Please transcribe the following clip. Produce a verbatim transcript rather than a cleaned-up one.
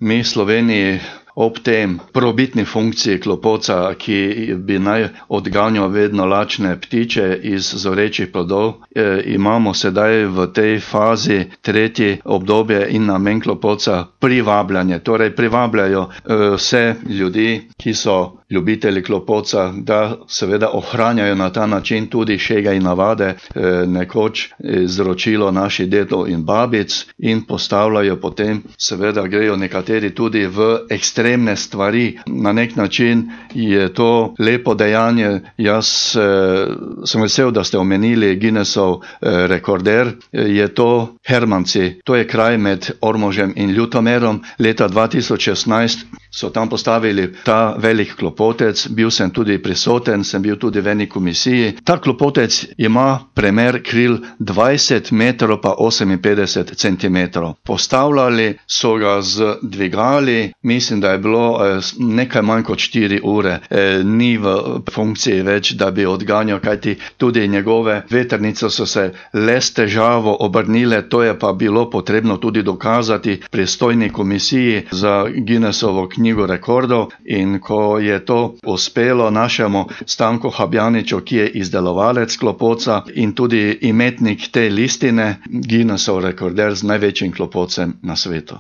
mi Sloveniji ob tem prvobitni funkciji klopotca, ki bi naj odganjal vedno lačne ptiče iz zorečih plodov, e, imamo sedaj v tej fazi tretji obdobje in namen klopotca privabljanje. Torej privabljajo e, vse ljudi, ki so ljubitelji klopotca, da seveda ohranjajo na ta način tudi šege in navade, e, nekoč izročilo naših dedov in babic, in postavljajo potem, seveda grejo nekateri tudi v ekstremne stvari. Na nek način je to lepo dejanje. Jaz e, sem vesel, da ste omenili Guinnessov e, rekorder. E, je to Hermanci, to je kraj med Ormožem in Ljutomerom. Leta dva tisoč šestnajst so tam postavili ta velik klopotec, bil sem tudi prisoten, sem bil tudi v eni komisiji. Ta klopotec ima premer kril dvajset metrov pa oseminpetdeset centimetrov. Postavljali so ga z dvigali, mislim, da je bilo eh, nekaj manj kot štiri ure. Eh, ni v funkciji več, da bi odganjal, kajti tudi njegove vetrnice so se le s težavo obrnile, to je pa bilo potrebno tudi dokazati pristojni komisiji za Guinnessovo knjigo rekordov, in ko je to uspelo našemu Stanku Habjaniču, ki je izdelovalec klopotca in tudi imetnik te listine, Guinnessov rekorder z največjim klopotcem na svetu.